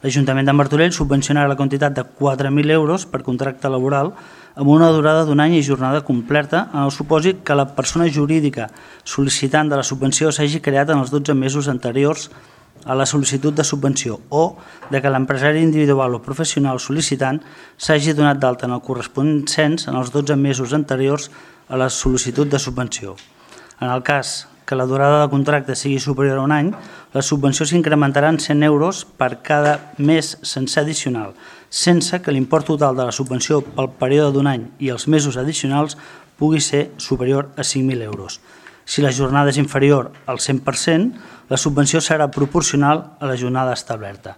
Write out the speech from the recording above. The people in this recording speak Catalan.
L'Ajuntament de Martorell subvencionarà la quantitat de 4.000 euros per contracte laboral amb una durada d'un any i jornada completa en el supòsit que la persona jurídica sol·licitant de la subvenció s'hagi creat en els 12 mesos anteriors a la sol·licitud de subvenció o de que l'empresari individual o professional sol·licitant s'hagi donat d'alta en el corresponent cens en els 12 mesos anteriors a la sol·licitud de subvenció. En el cas que la durada del contracte sigui superior a un any, la subvenció s'incrementarà en 100 euros per cada mes sencer addicional, sense que l'import total de la subvenció pel període d'un any i els mesos addicionals pugui ser superior a 5.000 euros. Si la jornada és inferior al 100%, la subvenció serà proporcional a la jornada establerta.